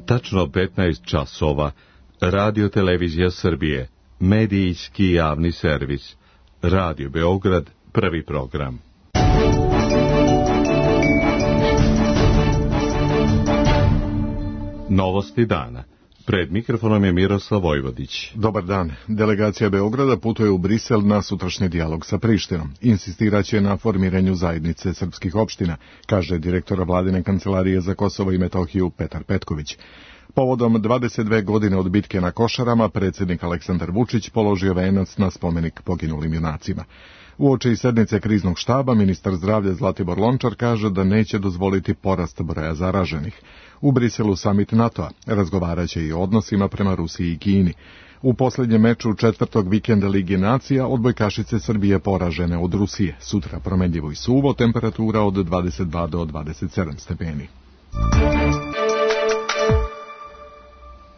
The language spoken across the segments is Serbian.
Tačno 15 časova. Radio Televizija Srbije. Medijski javni servis. Radio Beograd, prvi program. Novosti dana. Pred mikrofonom je Miroslav Vojvodić. Dobar dan. Delegacija Beograda putuje u Brisel na sutrašnji dijalog sa Prištinom. Insistiraće na formiranju zajednice srpskih opština, kaže direktor vladine kancelarije za Kosovo i Metohiju Petar Petković. Povodom 22 godine od bitke na Košarama, predsjednik Aleksandar Vučić položio venac na spomenik poginulim junacima. Uoči sednice kriznog štaba, ministar zdravlja Zlatibor Lončar kaže da neće dozvoliti porast broja zaraženih. U Briselu samit NATO-a razgovaraće i o odnosima prema Rusiji i Kini. U posljednjem meču četvrtog vikenda Lige nacija odbojkašice Srbije poražene od Rusije. Sutra promenljivo i suvo, temperatura od 22 do 27 stepeni.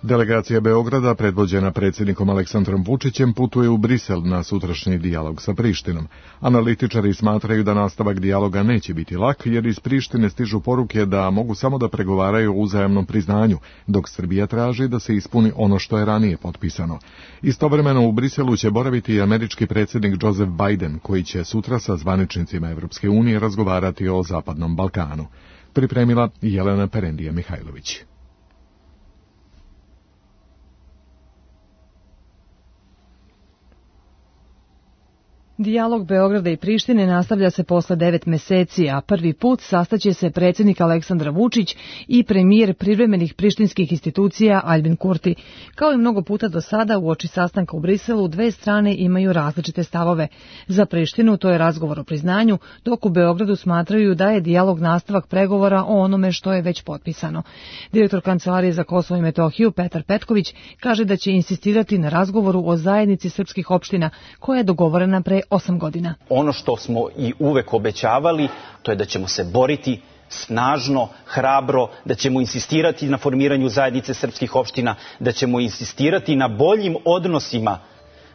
Delegacija Beograda, predvođena predsjednikom Aleksandrom Vučićem, putuje u Brisel na sutrašnji dijalog sa Prištinom. Analitičari smatraju da nastavak dijaloga neće biti lak, jer iz Prištine stižu poruke da mogu samo da pregovaraju o uzajamnom priznanju, dok Srbija traži da se ispuni ono što je ranije potpisano. Istovremeno u Briselu će boraviti i američki predsjednik Joseph Biden, koji će sutra sa zvaničnicima Evropske unije razgovarati o Zapadnom Balkanu. Pripremila Jelena Perendija-Mihajlović. Dijalog Beograda i Prištine nastavlja se posle 9 meseci, a prvi put sastaće se predsjednik Aleksandar Vučić i premijer privremenih prištinskih institucija Aljbin Kurti. Kao i mnogo puta do sada, uoči sastanka u Briselu, dve strane imaju različite stavove. Za Prištinu to je razgovor o priznanju, dok u Beogradu smatraju da je dijalog nastavak pregovora o onome što je već potpisano. Direktor kancelarije za Kosovo i Metohiju Petar Petković kaže da će insistirati na razgovoru o zajednici srpskih opština, koja je dogovorena pre 8 godina. Ono što smo i uvek obećavali, to je da ćemo se boriti snažno, hrabro, da ćemo insistirati na formiranju zajednice srpskih opština, da ćemo insistirati na boljim odnosima,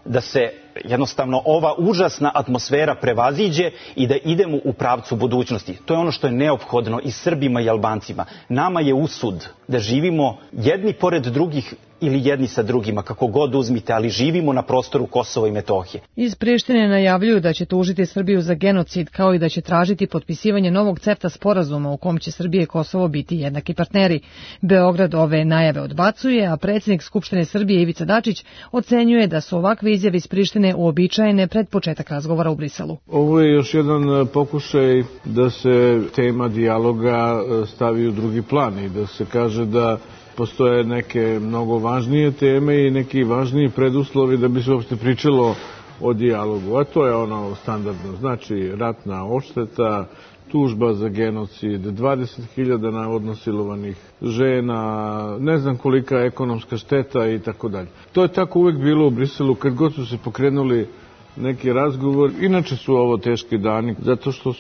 da se jednostavno ova užasna atmosfera prevaziđe i da idemo u pravcu budućnosti. To je ono što je neophodno i Srbima i Albancima. Nama je usud da živimo jedni pored drugih ili jedni sa drugima, kako god uzmite, ali živimo na prostoru Kosova i Metohije. Iz Prištine najavljuju da će tužiti Srbiju za genocid, kao i da će tražiti potpisivanje novog CEFTA sporazuma u kom će Srbija i Kosovo biti jednaki partneri. Beograd ove najave odbacuje, a predsjednik Skupštine Srbije Ivica Dačić ocenjuje da su ovakve izjave iz Prištine uobičajene pred početak razgovora u Briselu. Ovo je još jedan pokušaj da se tema dijaloga stavi u drugi plan i da se kaže da postoje neke mnogo važnije teme i neki važniji preduslovi da bi se uopšte pričalo o dijalogu. A to je ono standardno, znači ratna odšteta, tužba za genocid, 20.000 navodno silovanih žena, ne znam kolika ekonomska šteta i tako dalje. To je tako uvek bilo u Briselu kad god su se pokrenuli neki razgovor. Inače su ovo teški dani, zato što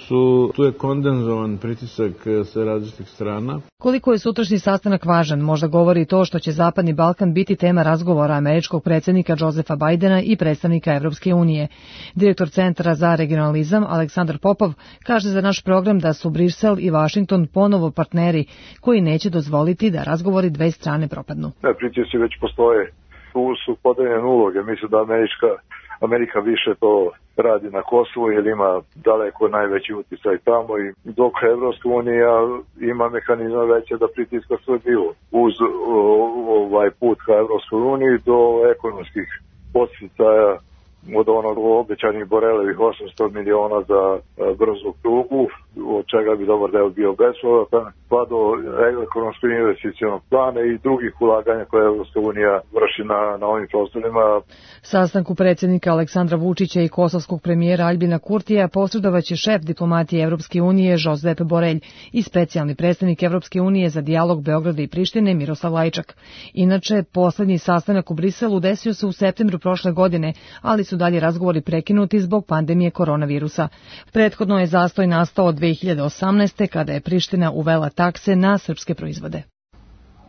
tu je kondenzovan pritisak sa različitih strana. Koliko je sutrašnji sastanak važan, možda govori to što će Zapadni Balkan biti tema razgovora američkog predsjednika Josepha Bidena i predstavnika Evropske unije. Direktor Centra za regionalizam Aleksandar Popov kaže za naš program da su Brisel i Vašington ponovo partneri koji neće dozvoliti da razgovori dve strane propadnu. Pritisci već postoje. Tu su podeljene uloge. Mislim da Amerika više to radi na Kosovu jer ima daleko najveći utjecaj tamo i dok Evropska unija ima mehanizma veće da pritiska Srbiju uz ovaj put ka Evropskoj uniji do ekonomskih podsticaja od onog obećanih Borelevih 800 miliona za brzu prugu, od čega bi dobar deo bio bespovrattan, pa do ekonomskog investicionog plana i drugih ulaganja koje Evropska unija vrši na ovim prostorima. Sastanku predsjednika Aleksandra Vučića i kosovskog premijera Aljbina Kurtija posredovaće šef diplomatije Evropske unije Josep Borelj i specijalni predstavnik Evropske unije za dijalog Beograda i Prištine Miroslav Lajčak. Inače, poslednji sastanak u Briselu desio se u septembru prošle godine, ali su dalje razgovori prekinuti zbog pandemije koronavirusa. Prethodno je zastoj nastao od 2018. kada je Priština uvela takse na srpske proizvode.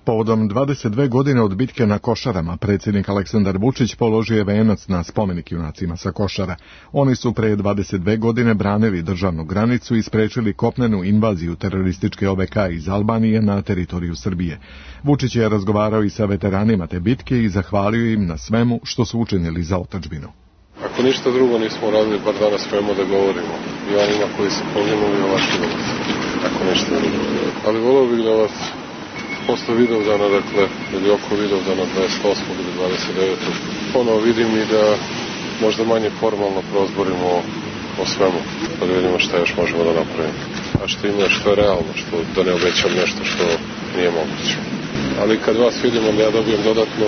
Povodom 22 godine od bitke na Košarama, predsjednik Aleksandar Vučić položio je venac na spomenik junacima sa Košara. Oni su pre 22 godine branili državnu granicu i sprečili kopnenu invaziju terorističke OVK iz Albanije na teritoriju Srbije. Vučić je razgovarao i sa veteranima te bitke i zahvalio im na svemu što su učinili za otadžbinu. Ako ništa drugo nismo radili, bar danas smemo da govorimo. I onima koji su poginuli ovakvi da ako ništa drugo. Ali volio bih da vas posle Vidovdana, dakle, ili oko Vidovdana 28. ili 29. ponovo vidim i da možda manje formalno prozborimo o svemu, pa da vidimo šta još možemo da napravimo. A što ima, što je realno, što da ne obećam nešto što nije moguće. Ali kad vas vidim, onda ja dobijem dodatnu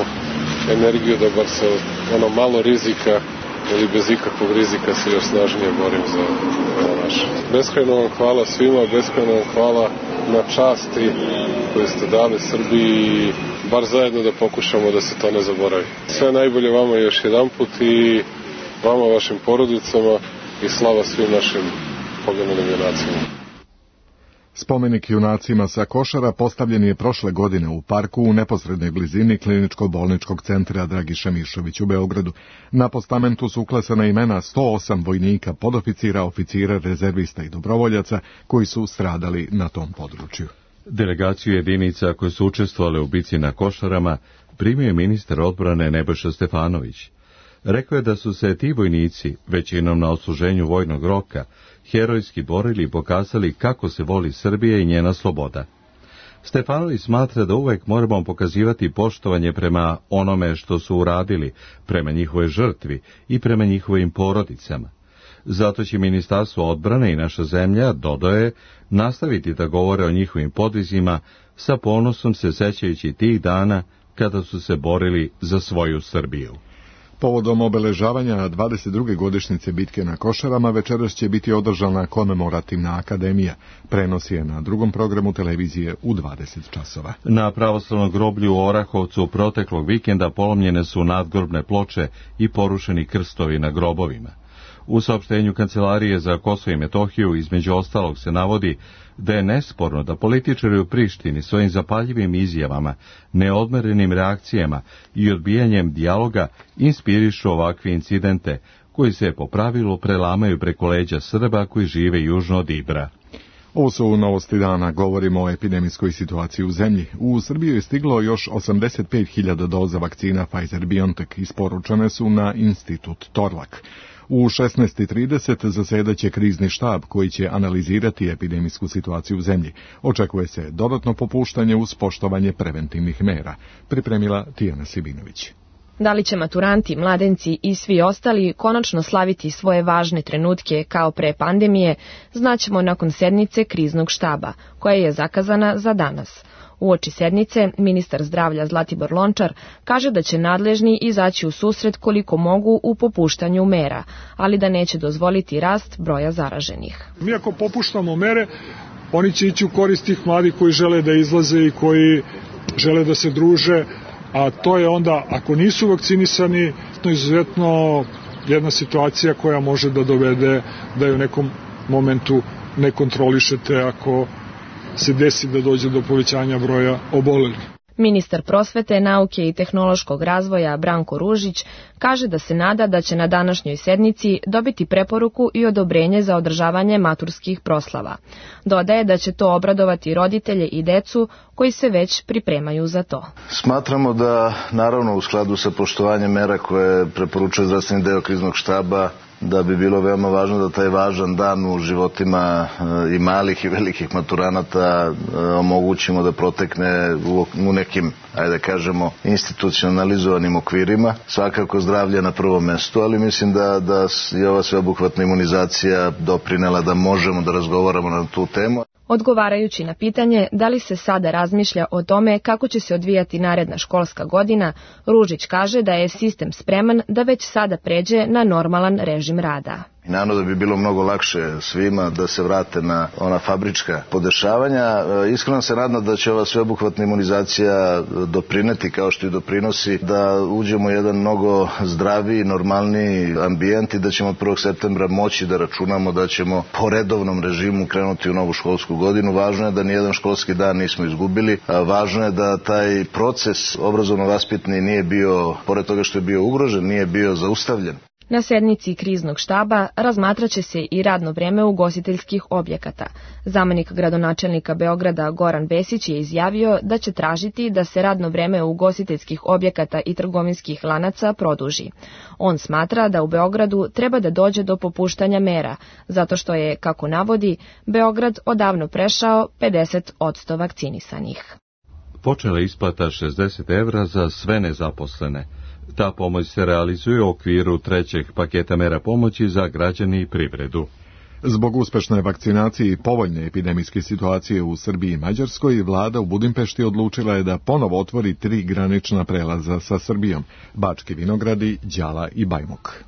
energiju da bar sa ono malo rizika ili bez ikakvog rizika se još snažnije borim za naše. Beskrajno vam hvala svima, beskrajno vam hvala na časti koju ste dali Srbiji i bar zajedno da pokušamo da se to ne zaboravi. Sve najbolje vama još jedanput i vama, vašim porodicama i slava svim našim poginulim junacima. Spomenik junacima sa Košara postavljen je prošle godine u parku u neposrednoj blizini kliničko-bolničkog centra Dragiša Mišović u Beogradu. Na postamentu su uklesana imena 108 vojnika, podoficira, oficira, rezervista i dobrovoljaca koji su stradali na tom području. Delegaciju jedinica koje su učestvovale u bici na Košarama primio je ministar odbrane Nebojša Stefanović. Rekao je da su se ti vojnici, većinom na odsluženju vojnog roka, herojski borili i pokazali kako se voli Srbija i njena sloboda. Stefanović smatra da uvek moramo pokazivati poštovanje prema onome što su uradili, prema njihovoj žrtvi i prema njihovim porodicama. Zato će Ministarstvo odbrane i naša zemlja, dodaje, nastaviti da govore o njihovim podvizima, sa ponosom se sećajući tih dana kada su se borili za svoju Srbiju. Povodom obeležavanja 22. godišnjice bitke na Košarama večeras će biti održana komemorativna akademija. Prenos je na drugom programu televizije u 20 časova. Na pravoslavnom groblju u Orahovcu proteklog vikenda polomljene su nadgrobne ploče i porušeni krstovi na grobovima. U saopštenju Kancelarije za Kosovo i Metohiju između ostalog se navodi da je nesporno da političari u Prištini svojim zapaljivim izjavama, neodmerenim reakcijama i odbijanjem dijaloga inspirišu ovakve incidente, koji se po pravilu prelamaju preko leđa Srba koji žive južno od Ibra. Ovo su novosti dana, govorimo o epidemijskoj situaciji u zemlji. U Srbiju je stiglo još 85.000 doza vakcina Pfizer-BioNTech, isporučene su na institut Torlak. U 16:30 zasedaće krizni štab koji će analizirati epidemijsku situaciju u zemlji. Očekuje se dodatno popuštanje uz poštovanje preventivnih mera, pripremila Tijana Sibinović. Da li će maturanti, mladenci i svi ostali konačno slaviti svoje važne trenutke kao pre pandemije, znaćemo nakon sednice kriznog štaba, koja je zakazana za danas. Uoči sednice, ministar zdravlja Zlatibor Lončar kaže da će nadležni izaći u susret koliko mogu u popuštanju mera, ali da neće dozvoliti rast broja zaraženih. Mi ako popuštamo mere, oni će ići u korist tih mladih koji žele da izlaze i koji žele da se druže, a to je onda, ako nisu vakcinisani, to je izuzetno jedna situacija koja može da dovede da je u nekom momentu ne kontrolišete ako se desi da dođe do povećanja broja obolelih. Ministar prosvete, nauke i tehnološkog razvoja Branko Ružić kaže da se nada da će na današnjoj sednici dobiti preporuku i odobrenje za održavanje maturskih proslava. Dodaje da će to obradovati roditelje i decu koji se već pripremaju za to. Smatramo da, naravno u skladu sa poštovanjem mera koje preporučuje zdravstveni deo kriznog štaba, da bi bilo veoma važno da taj važan dan u životima i malih i velikih maturanata omogućimo da protekne u nekim, ajde da kažemo, institucionalizovanim okvirima. Svakako zdravlje na prvom mestu, ali mislim da je ova sveobuhvatna imunizacija doprinela da možemo da razgovaramo na tu temu. Odgovarajući na pitanje da li se sada razmišlja o tome kako će se odvijati naredna školska godina, Ružić kaže da je sistem spreman da već sada pređe na normalan režim rada. I naravno da bi bilo mnogo lakše svima da se vrate na ona fabrička podešavanja. Iskreno se nadam da će ova sveobuhvatna imunizacija doprineti, kao što i doprinosi, da uđemo u jedan mnogo zdraviji, normalniji ambijent i da ćemo od 1. septembra moći da računamo da ćemo po redovnom režimu krenuti u novu školsku godinu. Važno je da nijedan školski dan nismo izgubili. Važno je da taj proces obrazovno-vaspitni nije bio, pored toga što je bio ugrožen, nije bio zaustavljen. Na sednici kriznog štaba razmatraće se i radno vreme ugostiteljskih objekata. Zamenik gradonačelnika Beograda Goran Vesić je izjavio da će tražiti da se radno vreme ugostiteljskih objekata i trgovinskih lanaca produži. On smatra da u Beogradu treba da dođe do popuštanja mera, zato što je, kako navodi, Beograd odavno prešao 50% vakcinisanih. Počela isplata 60 evra za sve nezaposlene. Ta pomoć se realizuje u okviru 3. paketa mera pomoći za građane i privredu. Zbog uspešne vakcinacije i povoljne epidemijske situacije u Srbiji i Mađarskoj, vlada u Budimpešti odlučila je da ponovo otvori 3 granična prelaza sa Srbijom, Bački Vinogradi, Đala i Bajmok.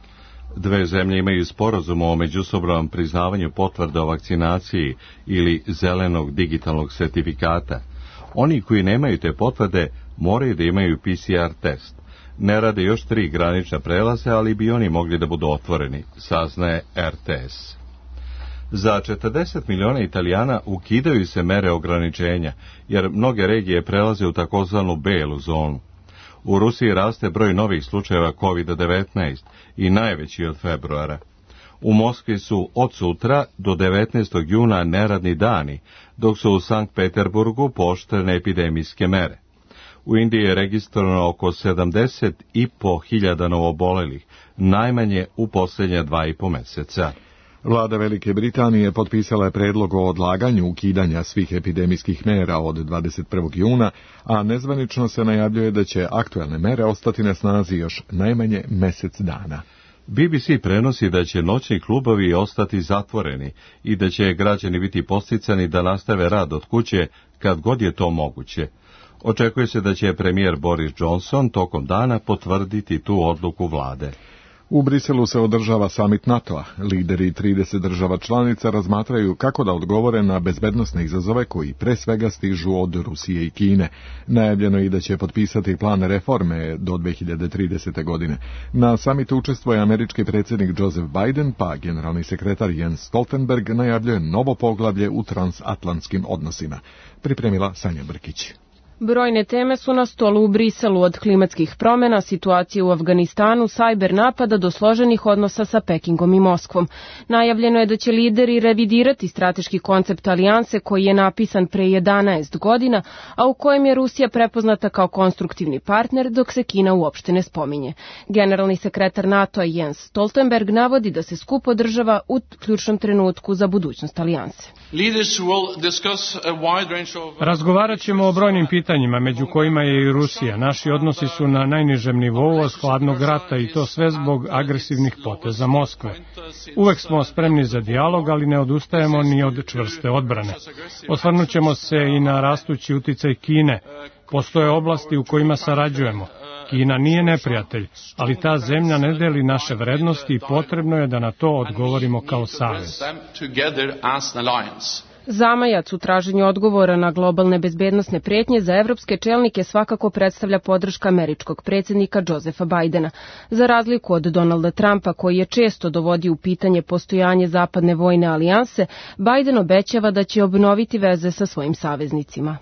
Dve zemlje imaju sporazum o međusobnom priznavanju potvrda o vakcinaciji ili zelenog digitalnog sertifikata. Oni koji nemaju te potvrde moraju da imaju PCR test. Ne rade još 3 granična prelaze, ali bi oni mogli da budu otvoreni, saznaje RTS. Za 40 miliona Italijana ukidaju se mere ograničenja, jer mnoge regije prelaze u takozvanu belu zonu. U Rusiji raste broj novih slučajeva COVID-19 i najveći od februara. U Moskvi su od sutra do 19. juna neradni dani, dok su u Sankt Peterburgu pooštrene epidemijske mere. U Indiji je registrovano oko 70.500 novobolelih, najmanje u posljednja 2,5 meseca. Vlada Velike Britanije potpisala je predlog o odlaganju ukidanja svih epidemijskih mera od 21. juna, a nezvanično se najavljuje da će aktuelne mere ostati na snazi još najmanje mesec dana. BBC prenosi da će noćni klubovi ostati zatvoreni i da će građani biti podsticani da nastave rad od kuće kad god je to moguće. Očekuje se da će premijer Boris Johnson tokom dana potvrditi tu odluku vlade. U Briselu se održava samit NATO-a. Lideri 30 država članica razmatraju kako da odgovore na bezbednosne izazove koji pre svega stižu od Rusije i Kine. Najavljeno je i da će potpisati plan reforme do 2030. godine. Na samitu učestvuje američki predsjednik Joseph Biden, pa generalni sekretar Jens Stoltenberg najavljuje novo poglavlje u transatlantskim odnosima. Pripremila Sanja Brkić. Brojne teme su na stolu u Briselu, od klimatskih promjena, situacije u Afganistanu, sajber napada do složenih odnosa sa Pekingom i Moskvom. Najavljeno je da će lideri revidirati strateški koncept alijanse koji je napisan pre 11 godina, a u kojem je Rusija prepoznata kao konstruktivni partner, dok se Kina uopšte ne spominje. Generalni sekretar NATO-a Jens Stoltenberg navodi da se skup održava u ključnom trenutku za budućnost alijanse. Razgovarat ćemo o brojnim pitanjima, među kojima je i Rusija. Naši odnosi su na najnižem nivou od hladnog rata i to sve zbog agresivnih poteza Moskve. Uvek smo spremni za dijalog, ali ne odustajemo ni od čvrste odbrane. Osvrnut ćemo se i na rastući uticaj Kine. Postoje oblasti u kojima sarađujemo. Kina nije neprijatelj, ali ta zemlja ne deli naše vrednosti i potrebno je da na to odgovorimo kao savez. Zamajac u traženju odgovora na globalne bezbednosne prijetnje za evropske čelnike svakako predstavlja podrška američkog predsjednika Josepha Bidena. Za razliku od Donalda Trumpa, koji je često dovodio u pitanje postojanje zapadne vojne alijanse, Biden obećava da će obnoviti veze sa svojim saveznicima.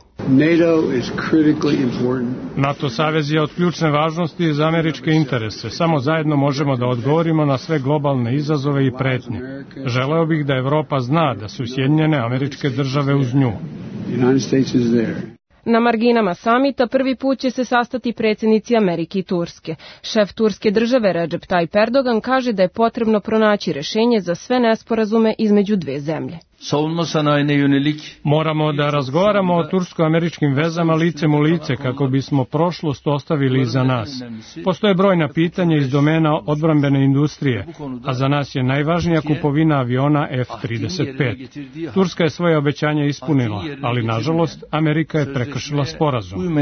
NATO savez je od ključne važnosti za američke interese. Samo zajedno možemo da odgovorimo na sve globalne izazove i pretnje. Želeo bih da Evropa zna da su Sjedinjene Američke Države uz nju. Na marginama samita prvi put će se sastati predsjednici Amerike i Turske. Šef turske države Recep Tayyip Erdogan kaže da je potrebno pronaći rešenje za sve nesporazume između dve zemlje. Moramo da razgovaramo o tursko-američkim vezama licem u lice kako bismo prošlost ostavili iza nas. Postoje brojna pitanja iz domena odbrambene industrije, a za nas je najvažnija kupovina aviona F-35. Turska je svoje obećanja ispunila, ali nažalost Amerika je prekršila sporazum.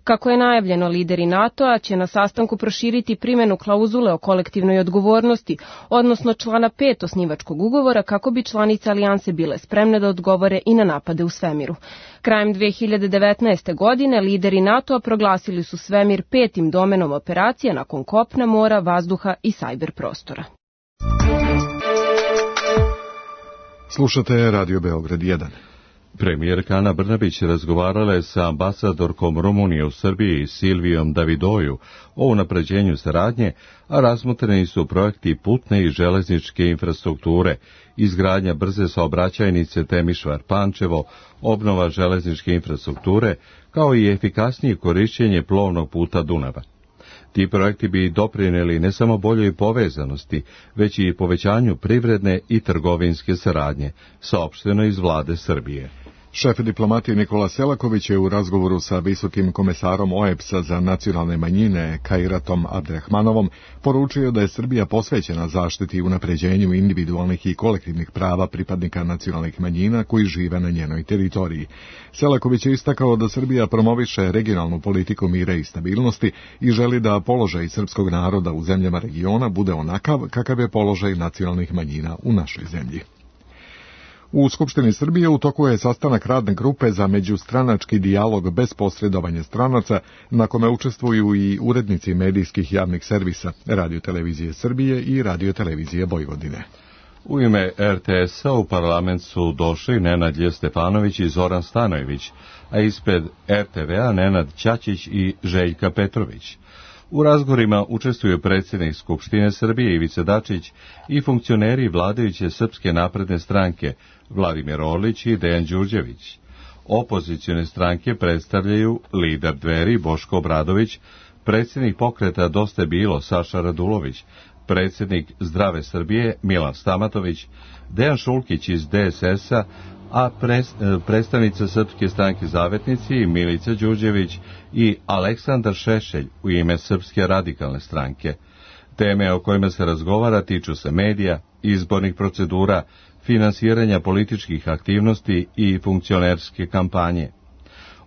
Kako je najavljeno, lideri NATO-a će na sastanku proširiti primjenu klauzule o kolektivnoj odgovornosti, odnosno člana 5 osnivačkog ugovora, kako bi članice alijanse bile spremne da odgovore i na napade u svemiru. Krajem 2019. godine lideri NATO-a proglasili su svemir 5. domenom operacije nakon kopna, mora, vazduha i sajber prostora. Slušate Radio Beograd 1. Premijerka Ana Brnabić razgovarala je sa ambasadorkom Rumunije u Srbiji Silvijom Davidoju o unapređenju saradnje, a razmotreni su projekti putne i železničke infrastrukture, izgradnja brze saobraćajnice Temišvar-Pančevo, obnova železničke infrastrukture, kao i efikasnije korišćenje plovnog puta Dunava. Ti projekti bi doprinijeli ne samo boljoj povezanosti, već i povećanju privredne i trgovinske saradnje, saopšteno iz vlade Srbije. Šef diplomatije Nikola Selaković je u razgovoru sa visokim komesarom OEBS-a za nacionalne manjine Kairatom Abderrahmanovom poručio da je Srbija posvećena zaštiti i unapređenju individualnih i kolektivnih prava pripadnika nacionalnih manjina koji žive na njenoj teritoriji. Selaković je istakao da Srbija promoviše regionalnu politiku mira i stabilnosti i želi da položaj srpskog naroda u zemljama regiona bude onakav kakav je položaj nacionalnih manjina u našoj zemlji. U Skupštini Srbije u toku je sastanak radne grupe za međustranački dijalog bez posredovanja stranaca, na kome učestvuju i urednici medijskih javnih servisa, Radio-televizije Srbije i Radio-televizije Vojvodine. U ime RTS-a u parlament su došli Nenad Stefanović i Zoran Stanojević, a ispred RTV-a Nenad Ćaćić i Željka Petrović. U razgovorima učestvuju predsjednik Skupštine Srbije Ivica Dačić i funkcioneri vladajuće Srpske napredne stranke Vladimir Orlić i Dejan Đurđević. Opozicione stranke predstavljaju lider Dveri Boško Obradović, predsjednik pokreta Dosta je bilo Saša Radulović, predsjednik Zdrave Srbije Milan Stamatović, Dejan Šulkić iz DSS-a, a predstavnica Srpske stranke Zavetnici Milica Đurđević i Aleksandar Šešelj u ime Srpske radikalne stranke. Teme o kojima se razgovara tiču se medija, izbornih procedura, finansiranja političkih aktivnosti i funkcionerske kampanje.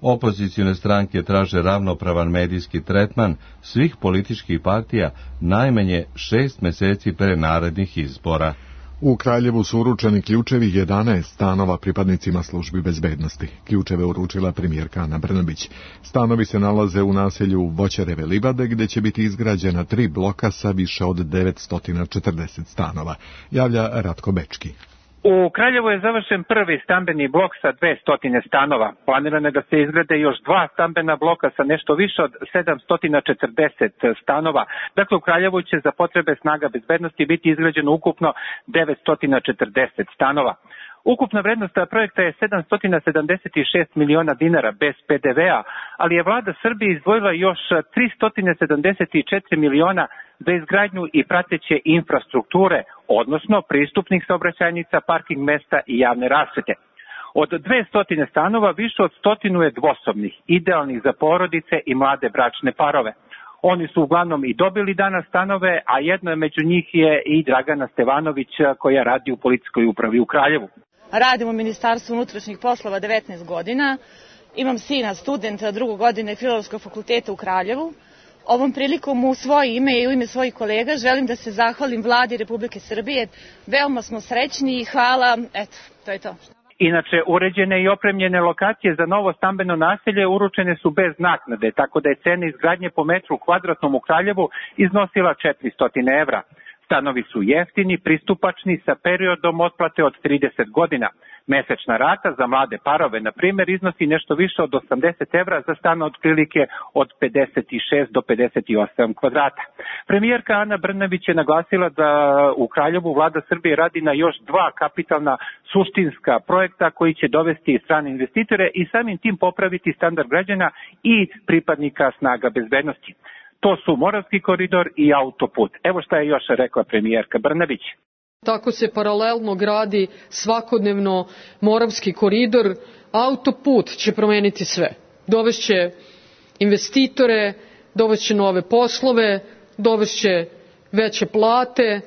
Opozicione stranke traže ravnopravan medijski tretman svih političkih partija najmanje 6 meseci pre narednih izbora. U Kraljevu su uručeni ključevi 11 stanova pripadnicima službi bezbednosti. Ključeve uručila premijerka Ana Brnabić. Stanovi se nalaze u naselju Voćareve livade, gdje će biti izgrađena 3 bloka sa više od 940 stanova. Javlja Ratko Bečki. U Kraljevu je završen prvi stambeni blok sa 200 stanova. Planirano je da se izgrade još 2 stambena bloka sa nešto više od 740 stanova. Dakle, u Kraljevu će za potrebe snaga bezbednosti biti izgrađeno ukupno 940 stanova. Ukupna vrednost projekta je 776 miliona dinara bez PDV-a, ali je vlada Srbije izdvojila još 374 miliona za izgradnju i prateće infrastrukture, odnosno pristupnih saobraćajnica, parking mesta i javne rasvete. Od 200 stanova više od 100 je dvosobnih, idealnih za porodice i mlade bračne parove. Oni su uglavnom i dobili danas stanove, a jedno je među njih je i Dragana Stevanović koja radi u policijskoj upravi u Kraljevu. Radim u Ministarstvu unutrašnjih poslova 19 godina. Imam sina, studenta 2. godine Filozofskog fakulteta u Kraljevu. Ovom prilikom u svoje ime i u ime svojih kolega želim da se zahvalim Vladi Republike Srbije. Veoma smo srećni i hvala. Eto, to je to. Inače, uređene i opremljene lokacije za novo stambeno naselje uručene su bez naknade, tako da je cena izgradnje po metru kvadratnom u Kraljevu iznosila 400 evra. Stanovi su jeftini, pristupačni sa periodom otplate od 30 godina. Mesečna rata za mlade parove, na primjer, iznosi nešto više od 80 evra za stan otprilike od 56 do 58 kvadrata. Premijerka Ana Brnabić je naglasila da u Kraljevu vlada Srbije radi na još 2 kapitalna suštinska projekta koji će dovesti strane investitore i samim tim popraviti standard građana i pripadnika snaga bezbednosti. To su Moravski koridor i autoput. Evo šta je još rekla premijerka Brnabić. Tako se paralelno gradi svakodnevno Moravski koridor. Autoput će promeniti sve. Dovešće investitore, dovešće nove poslove, dovešće veće plate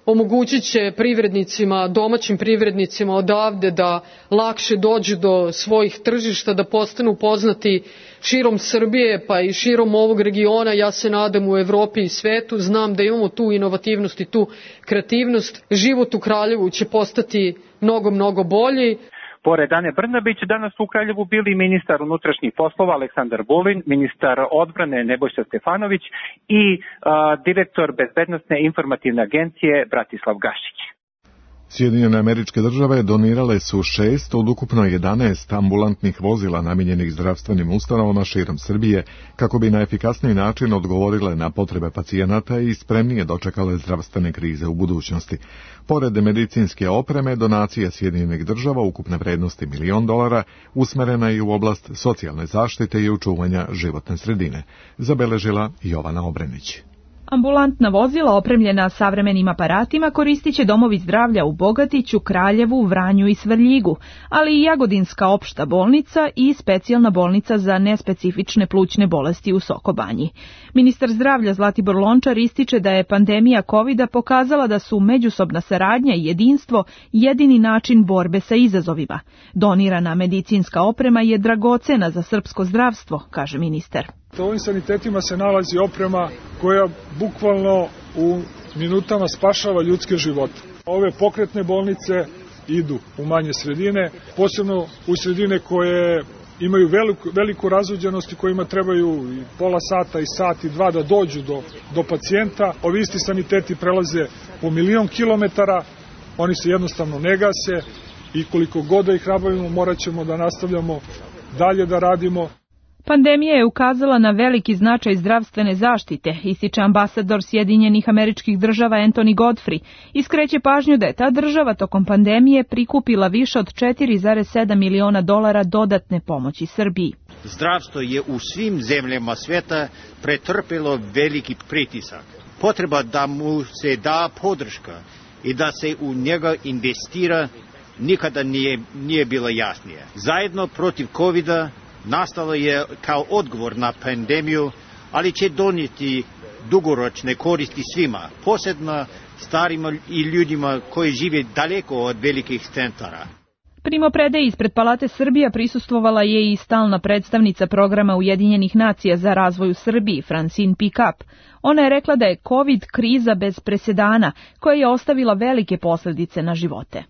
omogućit će privrednicima, domaćim privrednicima odavde da lakše dođu do svojih tržišta, da postanu poznati širom Srbije pa i širom ovog regiona. Ja se nadam u Evropi i svetu. Znam da imamo tu inovativnost i tu kreativnost. Život u Kraljevu će postati mnogo bolji. Pored Ane Brnabić, danas u Kraljevu bili ministar unutrašnjih poslova Aleksandar Vulin, ministar odbrane Nebojša Stefanović i direktor Bezbednosne informativne agencije Bratislav Gašić. Sjedinjene Američke Države donirale su 6 od ukupno 11 ambulantnih vozila namijenjenih zdravstvenim ustanovama širom Srbije kako bi na efikasniji način odgovorile na potrebe pacijenata i spremnije dočekale zdravstvene krize u budućnosti. Pored medicinske opreme, donacija Sjedinjenih Država ukupne vrednosti $1 milion usmerena je u oblast socijalne zaštite i očuvanja životne sredine, zabeležila Jovana Obrenić. Ambulantna vozila opremljena savremenim aparatima koristit će domovi zdravlja u Bogatiću, Kraljevu, Vranju i Svrljigu, ali i Jagodinska opšta bolnica i specijalna bolnica za nespecifične plućne bolesti u Sokobanji. Ministar zdravlja Zlatibor Lončar ističe da je pandemija COVID-a pokazala da su međusobna saradnja i jedinstvo jedini način borbe sa izazovima. Donirana medicinska oprema je dragocena za srpsko zdravstvo, kaže ministar. U ovim sanitetima se nalazi oprema koja bukvalno u minutama spašava ljudske živote. Ove pokretne bolnice idu u manje sredine, posebno u sredine koje imaju veliku razuđenost i kojima trebaju i pola sata i sat i dva da dođu do pacijenta. Ovi isti saniteti prelaze po 1.000.000 kilometara, oni se jednostavno ne gase i koliko god da ih rabavimo morat ćemo da nastavljamo dalje da radimo. Pandemija je ukazala na veliki značaj zdravstvene zaštite, ističe ambasador Sjedinjenih Američkih Država Anthony Godfrey i skreće pažnju da je ta država tokom pandemije prikupila više od $4,7 miliona dodatne pomoći Srbiji. Zdravstvo je u svim zemljama sveta pretrpelo veliki pritisak. Potreba da mu se da podrška i da se u njega investira nikada nije bila jasnije. Zajedno protiv COVID-a nastalo je kao odgovor na pandemiju, ali će donijeti dugoročne koristi svima, posebno starima i ljudima koji žive daleko od velikih centara. Primopredaji ispred Palate Srbija prisustvovala je i stalna predstavnica programa Ujedinjenih nacija za razvoj u Srbiji, Francine Pickup. Ona je rekla da je COVID kriza bez presedana, koja je ostavila velike posljedice na živote.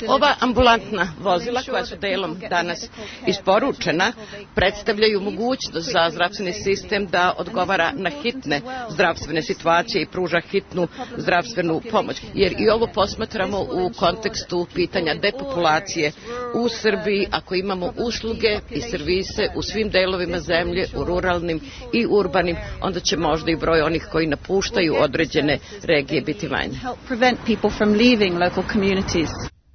Ova ambulantna vozila koja su delom danas isporučena predstavljaju mogućnost za zdravstveni sistem da odgovara na hitne zdravstvene situacije i pruža hitnu zdravstvenu pomoć. Jer i ovo posmatramo u kontekstu pitanja depopulacije u Srbiji. Ako imamo usluge i servise u svim delovima zemlje, u ruralnim i urbanim, onda će možda i broj onih koji napuštaju određene regije biti manje.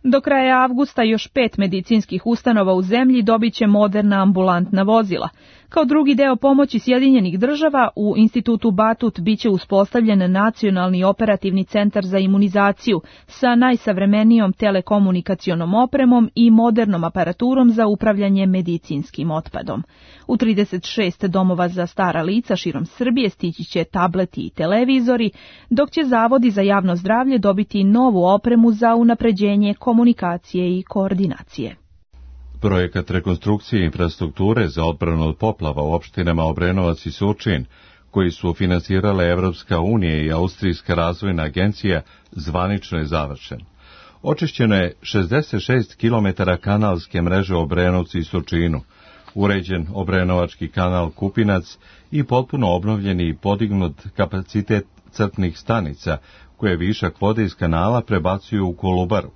Do kraja avgusta još 5 medicinskih ustanova u zemlji dobit će moderna ambulantna vozila. Kao drugi deo pomoći Sjedinjenih Država, u institutu Batut biće uspostavljen nacionalni operativni centar za imunizaciju sa najsavremenijom telekomunikacionom opremom i modernom aparaturom za upravljanje medicinskim otpadom. U 36 domova za stara lica širom Srbije stići će tableti i televizori, dok će zavodi za javno zdravlje dobiti novu opremu za unapređenje komunikacije i koordinacije. Projekat rekonstrukcije infrastrukture za odbranu od poplava u opštinama Obrenovac i Surčin, koji su finansirale Evropska unija i Austrijska razvojna agencija, zvanično je završen. Očišćeno je 66 km kanalske mreže u Obrenovcu i Surčinu, uređen Obrenovački kanal Kupinac i potpuno obnovljeni i podignut kapacitet crpnih stanica, koje višak vode iz kanala prebacuju u Kolubaru.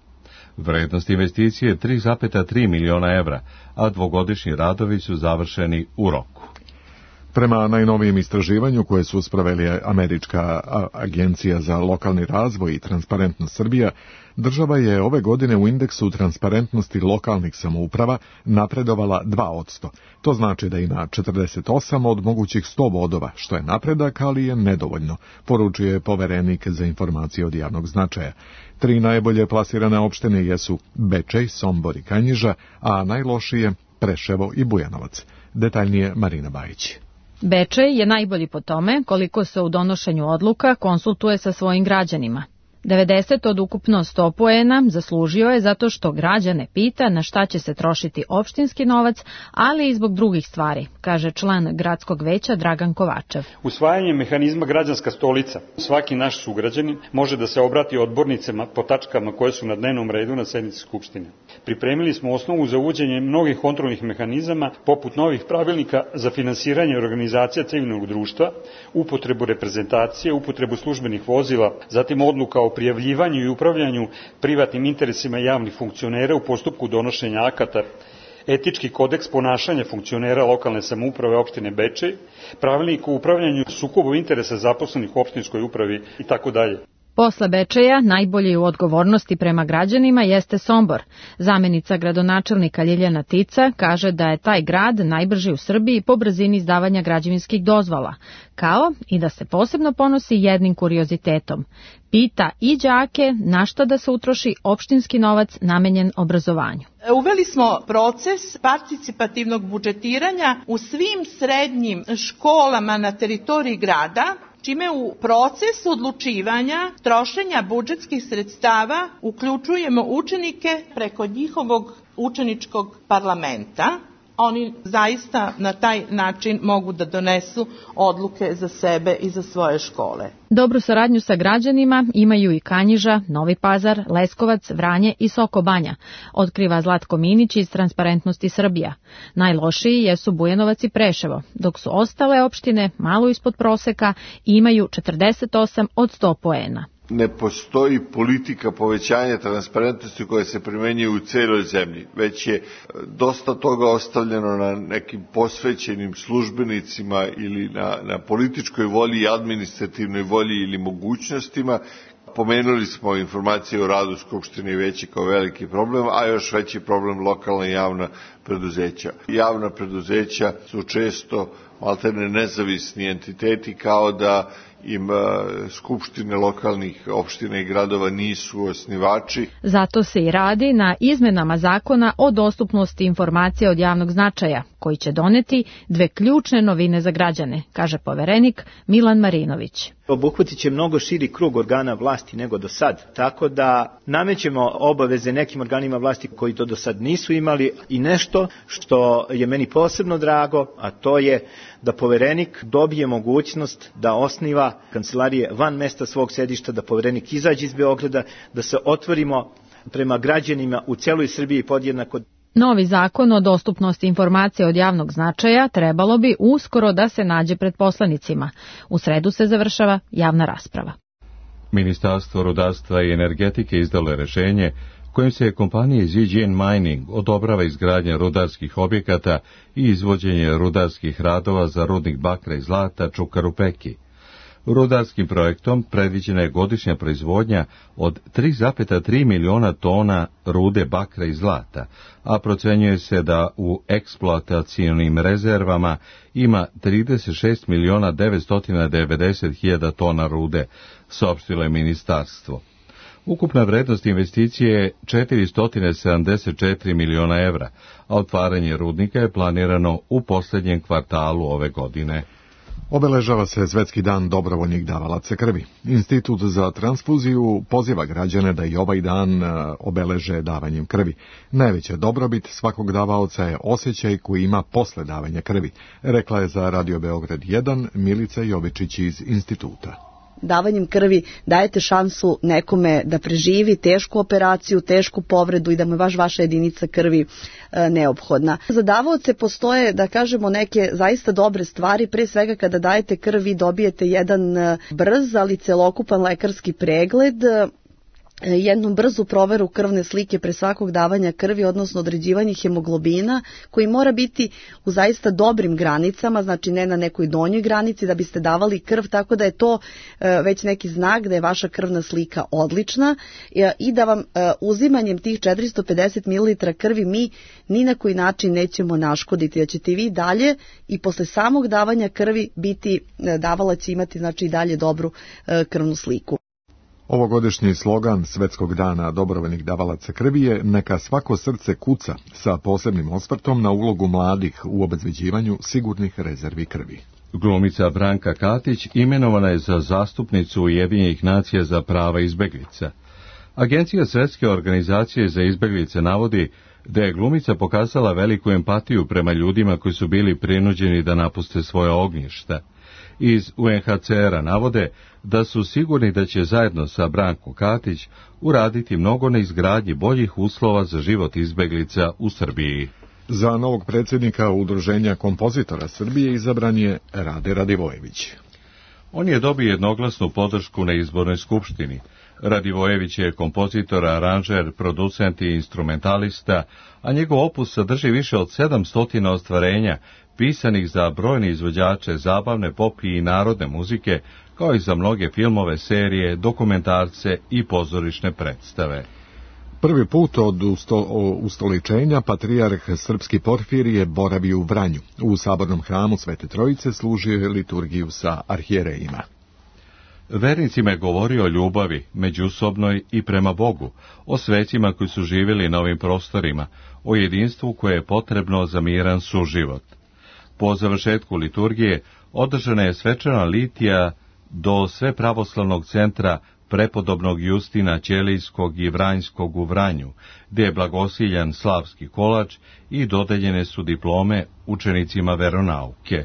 Vrednost investicije je 3,3 miliona evra, a dvogodišnji radovi su završeni u roku. Prema najnovijem istraživanju koje su sproveli Američka agencija za lokalni razvoj i Transparentnost Srbija, država je ove godine u indeksu transparentnosti lokalnih samouprava napredovala 2%. To znači da ima 48 od mogućih 100 bodova, što je napredak, ali je nedovoljno, poručuje poverenik za informacije od javnog značaja. 3 najbolje plasirane opštine jesu Bečej, Sombor i Kanjiža, a najlošije Preševo i Bujanovac. Detaljnije Marina Bajić. Bečej je najbolji po tome koliko se u donošenju odluka konsultuje sa svojim građanima. 90 od ukupno 100 poena zaslužio je zato što građane pita na šta će se trošiti opštinski novac, ali i zbog drugih stvari, kaže član gradskog veća Dragan Kovačev. Usvajanjem mehanizma građanska stolica, svaki naš sugrađanin može da se obrati odbornicama po tačkama koje su na dnevnom redu na sednici Skupštine. Pripremili smo osnovu za uvođenje mnogih kontrolnih mehanizama, poput novih pravilnika za finansiranje organizacija civilnog društva, upotrebu reprezentacije, upotrebu službenih vozila, zatim odluka o prijavljivanju i upravljanju privatnim interesima javnih funkcionera u postupku donošenja akata, etički kodeks ponašanja funkcionera lokalne samouprave opštine Bečej, pravilnik o upravljanju sukobom interesa zaposlenih u opštinskoj upravi itd. Posle Bečeja najbolji u odgovornosti prema građanima jeste Sombor. Zamenica gradonačelnika Ljiljana Tica kaže da je taj grad najbrži u Srbiji po brzini izdavanja građevinskih dozvola, kao i da se posebno ponosi jednim kuriozitetom. Pita i đake na šta da se utroši opštinski novac namenjen obrazovanju. Uveli smo proces participativnog budžetiranja u svim srednjim školama na teritoriji grada, čime u proces odlučivanja trošenja budžetskih sredstava uključujemo učenike preko njihovog učeničkog parlamenta. Oni zaista na taj način mogu da donesu odluke za sebe i za svoje škole. Dobru saradnju sa građanima imaju i Kanjiža, Novi Pazar, Leskovac, Vranje i Sokobanja, otkriva Zlatko Minić iz Transparentnosti Srbija. Najlošiji jesu Bujanovac i Preševo, dok su ostale opštine malo ispod proseka i imaju 48 od 100 poena. Ne postoji politika povećanja transparentnosti koja se primenjuje u celoj zemlji, već je dosta toga ostavljeno na nekim posvećenim službenicima ili na političkoj volji i administrativnoj volji ili mogućnostima. Pomenuli smo informacije o radu Skupštine i veće kao veliki problem, a još veći problem lokalna i javna preduzeća. Javna preduzeća su često maltene nezavisni entiteti, kao da im skupštine lokalnih opština i gradova nisu osnivači. Zato se i radi na izmenama zakona o dostupnosti informacija od javnog značaja, koji će doneti dve ključne novine za građane, kaže poverenik Milan Marinović. Obuhvatit će mnogo širi krug organa vlasti nego do sad, tako da namećemo obaveze nekim organima vlasti koji to do sad nisu imali i nešto što je meni posebno drago, a to je da poverenik dobije mogućnost da osniva kancelarije van mesta svog sedišta, da poverenik izađe iz Beograda, da se otvorimo prema građanima u celoj Srbiji podjednako. Novi zakon o dostupnosti informacija od javnog značaja trebalo bi uskoro da se nađe pred poslanicima. U sredu se završava javna rasprava. Ministarstvo rudarstva i energetike izdalo je rešenje kojim se kompanije ZGN Mining odobrava izgradnja rudarskih objekata i izvođenje rudarskih radova za rudnik bakra i zlata Čukaru Peki. Rudarskim projektom predviđena je godišnja proizvodnja od 3,3 miliona tona rude bakra i zlata, a procenjuje se da u eksploatacionim rezervama ima 36.990.000 tona rude, saopštilo je ministarstvo. Ukupna vrednost investicije je 474 miliona evra, a otvaranje rudnika je planirano u posljednjem kvartalu ove godine. Obeležava se Svetski dan dobrovoljnih davalaca krvi. Institut za transfuziju poziva građane da i ovaj dan obeleže davanjem krvi. Najveća dobrobit svakog davaoca je osjećaj koji ima posle davanja krvi, rekla je za Radio Beograd 1 Milica Jovičić iz instituta. Davanjem krvi dajete šansu nekome da preživi tešku operaciju, tešku povredu i da mu je baš vaša jedinica krvi neophodna. Za davaoce postoje, da kažemo, neke zaista dobre stvari. Pre svega kada dajete krv vi dobijete jedan brz, ali celokupan lekarski pregled, jednu brzu proveru krvne slike pre svakog davanja krvi, odnosno određivanje hemoglobina, koji mora biti u zaista dobrim granicama, znači ne na nekoj donjoj granici da biste davali krv, tako da je to već neki znak da je vaša krvna slika odlična i da vam uzimanjem tih 450 ml krvi mi ni na koji način nećemo naškoditi, da ćete vi dalje i posle samog davanja krvi biti, davalac imati znači i dalje dobru krvnu sliku. Ovogodišnji slogan Svetskog dana dobrovoljnih davalaca krvi je Neka svako srce kuca, sa posebnim osvrtom na ulogu mladih u obezbeđivanju sigurnih rezervi krvi. Glumica Branka Katić imenovana je za zastupnicu Ujedinjenih nacija za prava izbeglica. Agencija Svjetske organizacije za izbeglice navodi da je glumica pokazala veliku empatiju prema ljudima koji su bili prinuđeni da napuste svoje ognjišta. Iz UNHCR-a navode da su sigurni da će zajedno sa Brankom Katić uraditi mnogo na izgradnji boljih uslova za život izbeglica u Srbiji. Za novog predsjednika Udruženja kompozitora Srbije izabran je Rade Radivojević. On je dobio jednoglasnu podršku na izbornoj skupštini. Radivojević je kompozitor, aranžer, producent i instrumentalista, a njegov opus sadrži više od 700 ostvarenja, pisanih za brojne izvođače zabavne, pop i narodne muzike, kao i za mnoge filmove, serije, dokumentarce i pozorišne predstave. Prvi put od ustoličenja patrijarh srpski Porfirije boravio u Vranju. U sabornom hramu Svete Trojice služio je liturgiju sa arhijerejima. Vernicima je govorio o ljubavi, međusobnoj i prema Bogu, o svećima koji su živjeli na ovim prostorima, o jedinstvu koje je potrebno za miran suživot. Po završetku liturgije održana je svečana litija do Svepravoslavnog centra prepodobnog Justina Ćelijskog i Vranjskog u Vranju, gdje je blagosiljan slavski kolač i dodeljene su diplome učenicima veronauke.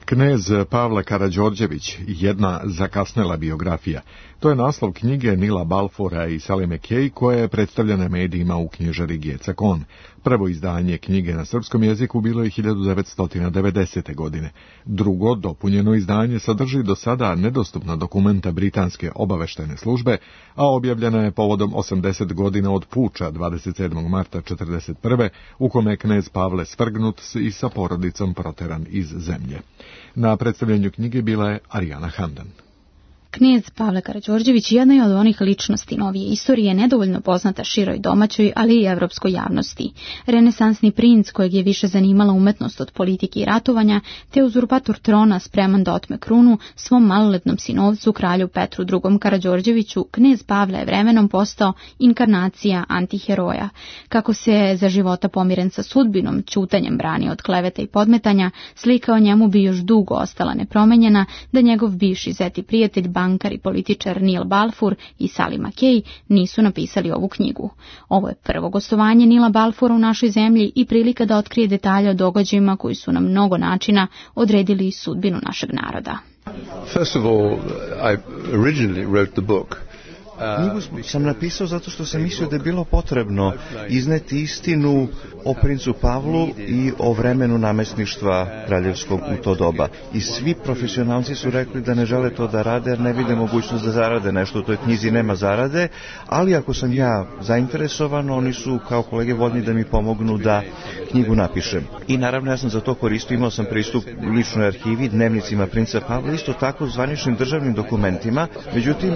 Knez Pavle Karađorđević, jedna zakasnela biografija. To je naslov knjige Nila Balfoura i Salime Kej, koja je predstavljena medijima u knjižari Gecakon. Prvo izdanje knjige na srpskom jeziku bilo je 1990. godine. Drugo, dopunjeno izdanje, sadrži do sada nedostupna dokumenta britanske obaveštajne službe, a objavljena je povodom 80 godina od puča 27. marta 1941. u kome je knez Pavle svrgnut i sa porodicom proteran iz zemlje. Na predstavljanju knjige bila je Arijana Handan. Knez Pavle Karađorđević jedna je od onih ličnosti novije istorije nedovoljno poznata široj domaćoj, ali i evropskoj javnosti. Renesansni princ kojeg je više zanimala umetnost od politike i ratovanja, te uzurpator trona spreman da otme krunu svom maloletnom sinovcu, kralju Petru II. Karađorđeviću, knez Pavle je vremenom postao inkarnacija antiheroja. Kako se za života pomiren sa sudbinom, ćutanjem brani od kleveta i podmetanja, slika o njemu bi još dugo ostala nepromenjena da njegov bivši zeti prijatelj, bankar i političar Neil Balfour i Salima Kej nisu napisali ovu knjigu. Ovo je prvo gostovanje Nila Balfoura u našoj zemlji i prilika da otkrije detalje o događajima koji su na mnogo načina odredili sudbinu našeg naroda. First of all, I originally wrote the book. Knjigu sam napisao zato što sam mislio da je bilo potrebno izneti istinu o princu Pavlu i o vremenu namestništva kraljevskog u to doba. I svi profesionalci su rekli da ne žele to da rade jer ne vide mogućnost da zarade nešto. U toj knjizi nema zarade, ali ako sam ja zainteresovan, oni su kao kolege voljni da mi pomognu da knjigu napišem. I naravno ja sam za to koristio, imao sam pristup ličnoj arhivi, dnevnicima princa Pavla, isto tako zvaničnim državnim dokumentima. Međutim,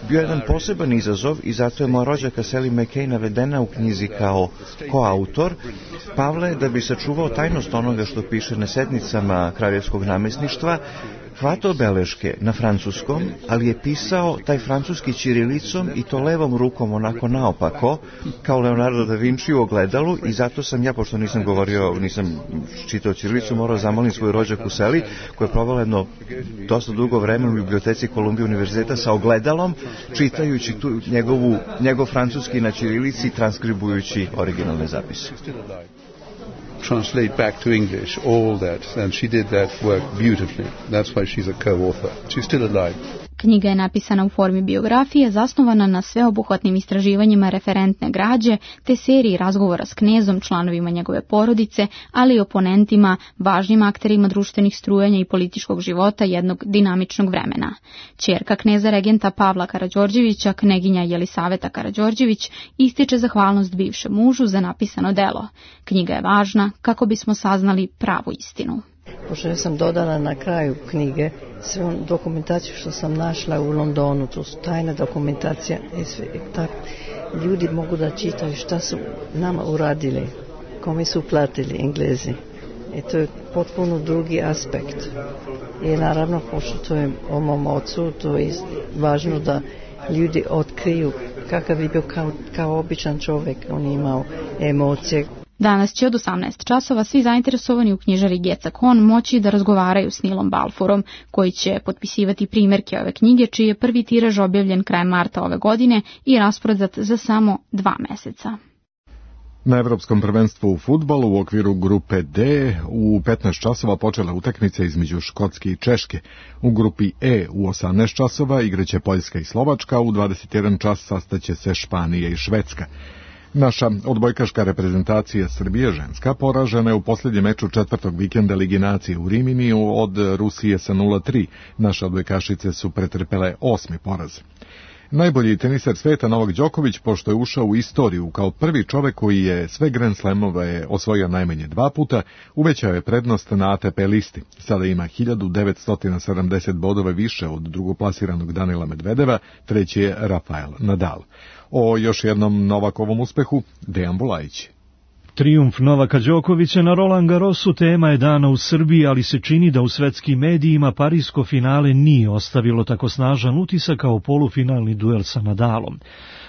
bio jedan poseban izazov i zato je moja rođaka Salima Kej navedena u knjizi kao koautor. Pavle, da bi sačuvao tajnost onoga što piše na sednicama kraljevskog namestništva, hvatao beleške na francuskom, ali je pisao taj francuski ćirilicom i to levom rukom onako naopako, kao Leonardo da Vinci u ogledalu, i zato sam ja, pošto nisam čitao ćirilicu, morao zamolim svoju rođaku Seli, koja je provela jedno dosta dugo vreme u biblioteci Kolumbije univerziteta sa ogledalom, čitajući tu njegov francuski na ćirilici i transkribujući originalne zapise. Translate back to English all that, and she did that work beautifully. That's why she's a co-author. She's still alive. Knjiga je napisana u formi biografije, zasnovana na sveobuhvatnim istraživanjima referentne građe, te seriji razgovora s knezom, članovima njegove porodice, ali i oponentima, važnim akterima društvenih strujanja i političkog života jednog dinamičnog vremena. Ćerka kneza regenta Pavla Karađorđevića, kneginja Jelisaveta Karađorđević, ističe zahvalnost bivšem mužu za napisano delo. Knjiga je važna kako bismo saznali pravu istinu. Pošto ja sam dodala na kraju knjige sve dokumentaciju što sam našla u Londonu, to su tajna dokumentacija i sve, tako ljudi mogu da čitaju šta su nama uradili, kome su platili Englezi. I to je potpuno drugi aspekt. I naravno, pošto to je o mom ocu, to je važno da ljudi otkriju kakav je bio kao običan čovjek. On je imao emocije. Danas će od 18 časova svi zainteresovani u knjižari Gecakon moći da razgovaraju s Nilom Balfourom, koji će potpisivati primjerke ove knjige, čiji je prvi tiraž objavljen krajem marta ove godine i rasprodat za samo 2 meseca. Na Evropskom prvenstvu u fudbalu u okviru grupe D u 15 časova počela utakmica između Škotske i Češke. U grupi E u 18 časova igraće Poljska i Slovačka, u 21 čas sastaće se Španija i Švedska. Naša odbojkaška reprezentacija Srbije ženska poražena je u posljednjem meču 4. vikenda Ligi nacije u Riminiju od Rusije sa 0-3. Naše odbojkašice su pretrpele 8. poraz. Najbolji teniser sveta Novak Đoković, pošto je ušao u istoriju kao prvi čovek koji je sve Grand Slamove osvojio najmanje 2 puta, uvećao je prednost na ATP listi. Sada ima 1970 bodova više od drugoplasiranog Danila Medvedeva, treći je Rafael Nadal. O još jednom Novakovom uspehu, Dejan Bulajić. Trijumf Novaka Đokovića na Roland Garrosu tema je dana u Srbiji, ali se čini da u svetskim medijima parisko finale nije ostavilo tako snažan utisak kao polufinalni duel sa Nadalom.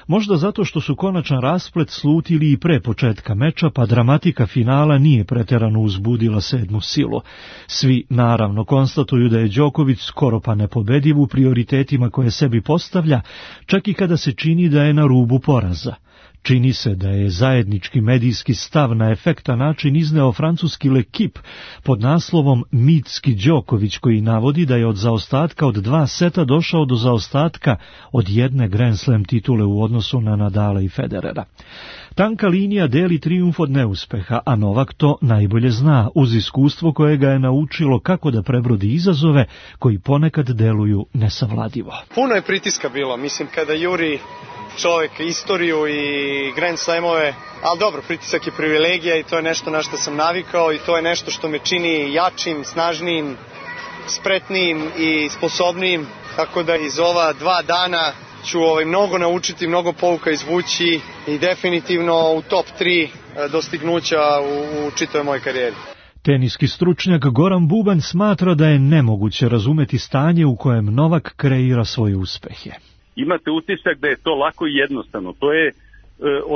Možda zato što su konačan rasplet slutili i pre početka meča, pa dramatika finala nije preterano uzbudila sedmu silu. Svi naravno konstatuju da je Đoković skoro pa nepobediv u prioritetima koje sebi postavlja, čak i kada se čini da je na rubu poraza. Čini se da je zajednički medijski stav na efektan način izneo francuski L'Equipe pod naslovom Mitski Đoković, koji navodi da je od zaostatka od 2 seta došao do zaostatka od 1 Grand Slam titule u odnosu na Nadala i Federera. Tanka linija deli trijumf od neuspeha, a Novak to najbolje zna, uz iskustvo koje ga je naučilo kako da prebrodi izazove koji ponekad deluju nesavladivo. Puno je pritiska bilo, mislim kada juri čovjek istoriju i Grand Slamove, ali dobro, pritisak je privilegija i to je nešto na što sam navikao i to je nešto što me čini jačim, snažnijim, spretnijim i sposobnijim, tako da iz ova 2 dana ću mnogo naučiti, mnogo pouka izvući i definitivno u top 3 dostignuća u čitavoj mojoj karijeri. Teniski stručnjak Goran Bubanj smatra da je nemoguće razumeti stanje u kojem Novak kreira svoje uspehe. Imate utisak da je to lako i jednostavno. To je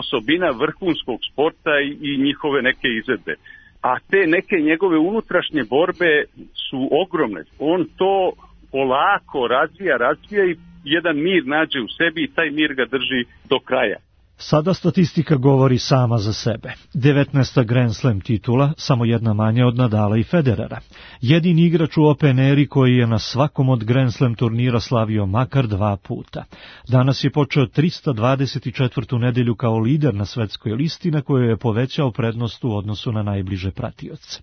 osobina vrhunskog sporta i njihove neke izvedbe. A te neke njegove unutrašnje borbe su ogromne. On to polako razvija i jedan mir nađe u sebi i taj mir ga drži do kraja. Sada statistika govori sama za sebe. 19. Grand Slam titula, samo jedna manje od Nadala i Federera. Jedini igrač u Open eri koji je na svakom od Grand Slam turnira slavio makar 2 puta. Danas je počeo 324. nedelju kao lider na svetskoj listi na kojoj je povećao prednost u odnosu na najbliže pratioce.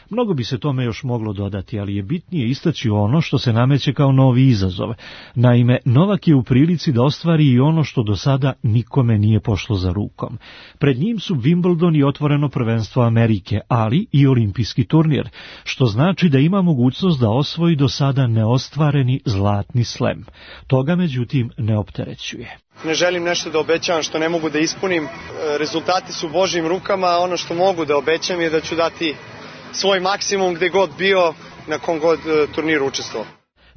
Mnogo bi se tome još moglo dodati, ali je bitnije istaći ono što se nameće kao novi izazov. Naime, Novak je u prilici da ostvari i ono što do sada nikome nije pošlo za rukom. Pred njim su Wimbledon i otvoreno prvenstvo Amerike, ali i olimpijski turnir, što znači da ima mogućnost da osvoji do sada neostvareni zlatni slem. Toga, međutim, ne opterećuje. Ne želim nešto da obećavam što ne mogu da ispunim. Rezultati su u Božjim rukama, ono što mogu da obećam je da ću dati svoj maksimum gde god bio, na kom god turniru učestvovao.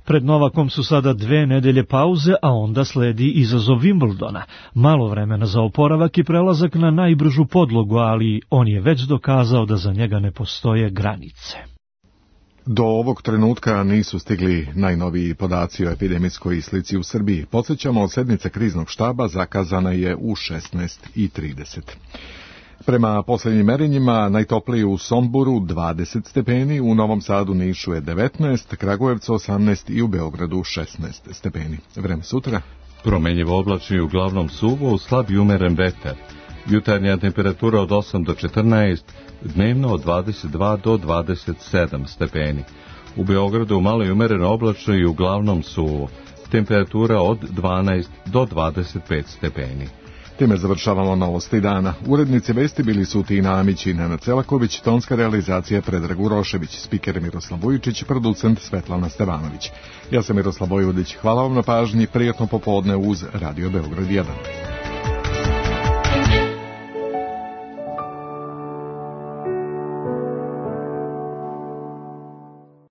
Pred Novakom su sada 2 nedelje pauze, a onda sledi izazov Wimbledona. Malo vremena za oporavak i prelazak na najbržu podlogu, ali on je već dokazao da za njega ne postoje granice. Do ovog trenutka nisu stigli najnoviji podaci o epidemijskoj slici u Srbiji. Podsjećamo, sednica kriznog štaba zakazana je u 16:30. Prema posljednjim merenjima, najtoplije u Somboru 20 stepeni, u Novom Sadu, Nišu je 19, Kragujevcu 18 i u Beogradu 16 stepeni. Vreme sutra? Promenjivo oblačno i uglavnom suvo, slab i umeren vetar. Jutarnja temperatura od 8 do 14, dnevno od 22 do 27 stepeni. U Beogradu malo i umereno oblačno i uglavnom suvo. Temperatura od 12 do 25 stepeni. Time završavamo novosti dana. Urednici vesti bili su Tina Amić i Nenad Celaković, tonska realizacija Predrag Urošević, spiker Miroslav Vujičić, producent Svetlana Stevanović. Ja sam Miroslav Vojvodić. Hvala vam na pažnji, prijatno popodne uz Radio Beograd 1.